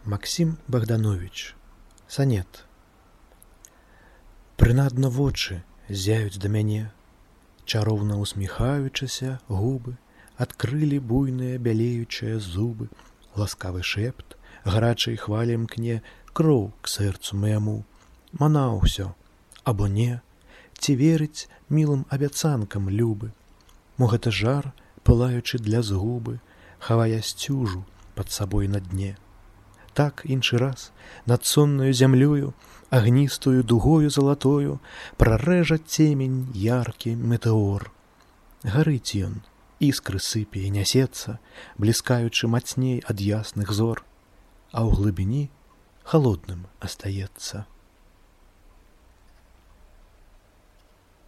Максім Богданович. Санет. Прынадна вочы зяюць да мяне, чароўна усміхаючыся губы, адкрылі буйныя бялеючыя зубы, ласкавы шэпт гарачай хвалі мкне кроў к сэрцу маяму. Манаў усё, або не, ці верыць мілым абяцанкам любы. Мо гэта жар, пылаючы для згубы, хавае сцюжу пад сабой на дне. Так іншы раз над соннаю зямлёю, агністую дугою залатою, прарэжа цемень яркі метэор. Гарыць ён, іскры сыпе і нясецца, бліскаючы мацней ад ясных зор, а ў глыбіні халодным астаецца.